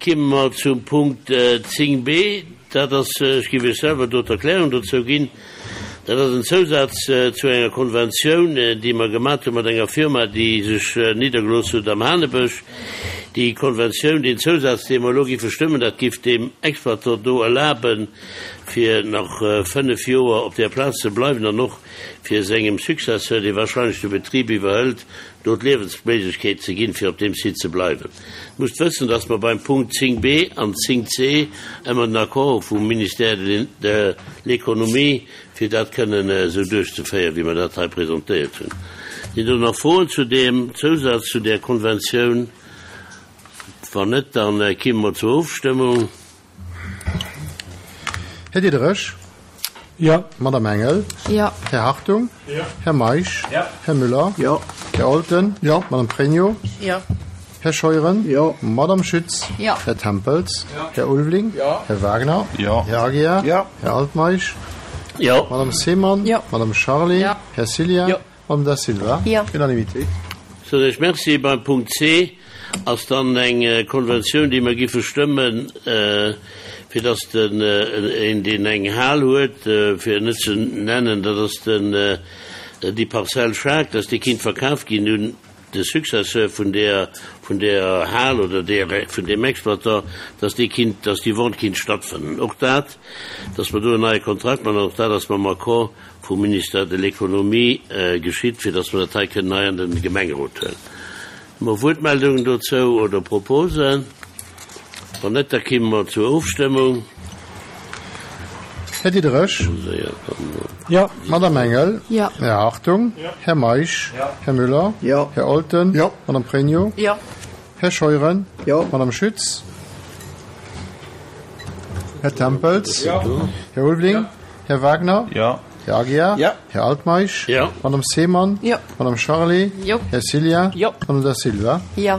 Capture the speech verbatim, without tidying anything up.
Kimme mer zum Punkt zéng b. Dat ass, ech géif Iech selwer do d'Erklärung dozou ginn, dat ass en Zousaz zu enger Konventioun, déi mer gemat hu mat enger Firma, déi sech niddergelooss huet am Hanebësch. Déi Konventioun, deen Zousaz, dee mer elo géife stëmmen, dat géif deem Exploitant do erlaben, fir nach fënnef Joer op där Plaz ze bleiwen an och fir sengem Successeur, dee wahrscheinlech de Betrib iwwerhëlt, do d'Liewensméiglechkeet ze ginn, fir op deem Site ze bleiwen. Musst wëssen, dass mer beim Punkt zéng b an zéng c ëmmer den Accord hu vum Ministère de l'Économie, fir dat kënnen esou duerchzeféieren, wéi mer dat hei presentéiert hunn. Sinn do nach Froen zu deem Zousaz, zu där Konventioun? Wann net, da kimme mer zur Ofstëmmung. Här Diderich? Jo. Madame Engel? Jo. Här Hartung? Jo. Här Meisch? Jo. Här Müller? Jo. Här Olten? Jo. Madame Pregno? Jo. Här Scheuren? Jo. Madame Schütz? Jo. Här Tempels? Jo. Här Ulveling? Jo. Här Wagner? Jo. Här Aguiar? Jo. Här Altmeisch? Jo. Madame Seemann? Jo. Madame Charlé? Jo. Här Cillien? Jo. Madame Da Silva? Jo. Unanimité. Soen ech Merci. Beim Punkt C ass dann eng Konventioun, déi mer giffe stëmmen, fir dass den, een, deen eng Hal huet, fir en net ze nennen, dat ass den, déi Parzell Schaack, dass déi kinnt verkaf ginn un de Successeur vun där, vun där Hal oder där, vun deem Exploitant, dass déi kinnt, dass déi Vente kinnt stattfannen. Och dat, dass mer do en neie Kontrakt maachen, och dat ass mam Accord vum Ministère de l'Économie geschitt, fir dass mer dat hei kënnen hei an de Gemengerot huelen. Hu mer Wuertmeldungen dozou oder Proposen? Wann net, da kimme mer zur Ofstëmmung. Här Diderich? Jo. Madame Engel? Jo. Här Hartung? Jo. Här Meisch? Jo. Här Müller? Jo. Här Olten? Jo. Madame Pregno? Jo. Här Scheuren? Jo. Madame Schütz? Här Tempels? Jo. Här Ulveling? Här Wagner? Jo. Här Aguiar? Jo. Här Altmeisch? Jo. Madame Seemann? Jo. Madame Charlé? Jo. Här Cillien? Jo. Madame Da Silva? Jo.